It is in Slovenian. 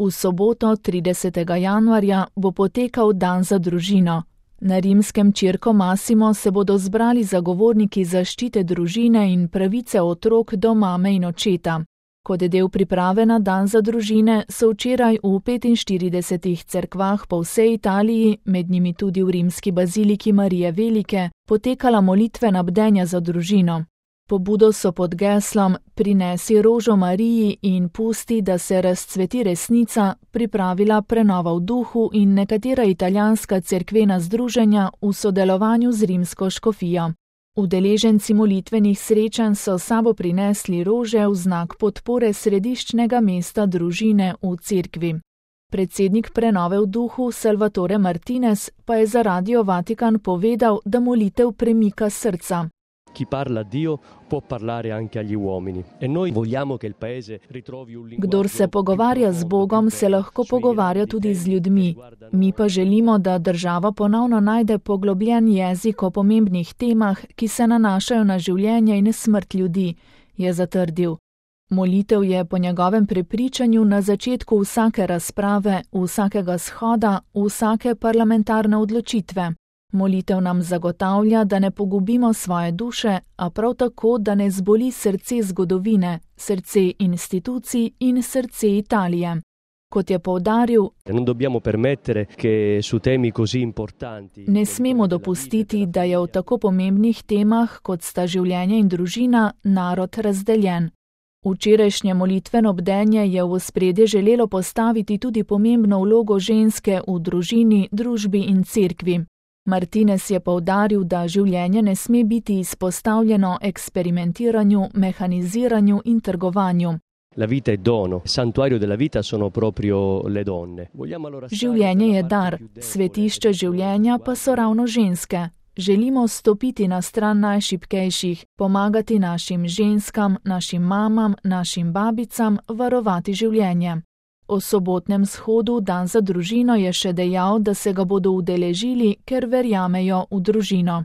V soboto 30. januarja bo potekal dan za družino. Na rimskem Circo Massimo se bodo zbrali zagovorniki zaščite družine in pravice otrok do mame in očeta. Kot del priprave na dan za družine so včeraj v 45 cerkvah po vsej Italiji, med njimi tudi v rimski baziliki Marije Velike, potekala molitvena bdenja za družino. Pobudo so pod geslom Prinesi rožo Mariji in pusti, da se razcveti resnica, pripravila Prenova v duhu in nekatera italijanska cerkvena združenja v sodelovanju z rimsko škofijo. Udeleženci molitvenih srečanj so s sabo prinesli rože v znak podpore središčnega mesta družine v cerkvi. Predsednik Prenove v duhu Salvatore Martinez pa je za Radio Vatikan povedal, da molitev premika srca. Chi parla a Dio può parlare anche agli uomini e noi vogliamo che il paese ritrovi un linguaggio. Kdor se pogovarja z Bogom, se lahko pogovarja tudi z ljudmi. Mi pa želimo, da država ponovno najde poglobljen jezik o pomembnih temah, ki se nanašajo na življenje in smrt ljudi, je zatrdil. Molitev je po njegovem prepričanju na začetku vsake razprave, vsakega shoda, vsake parlamentarne odločitve. Molitev nam zagotavlja, da ne pogubimo svoje duše, a prav tako, da ne zboli srce zgodovine, srce institucij in srce Italije. Kot je poudaril, ne smemo dopustiti, da je v tako pomembnih temah, kot sta življenje in družina, narod razdeljen. Včerajšnje molitveno bdenje je v ospredje želelo postaviti tudi pomembno vlogo ženske v družini, družbi in cerkvi. Martinez je poudaril, da življenje ne sme biti izpostavljeno eksperimentiranju, mehaniziranju in trgovanju. Življenje je dar, svetišče življenja pa so ravno ženske. Želimo stopiti na stran najšibkejših, pomagati našim ženskam, našim mamam, našim babicam, varovati življenje. O sobotnem shodu Dan za družino je še dejal, da se ga bodo udeležili, ker verjamejo v družino.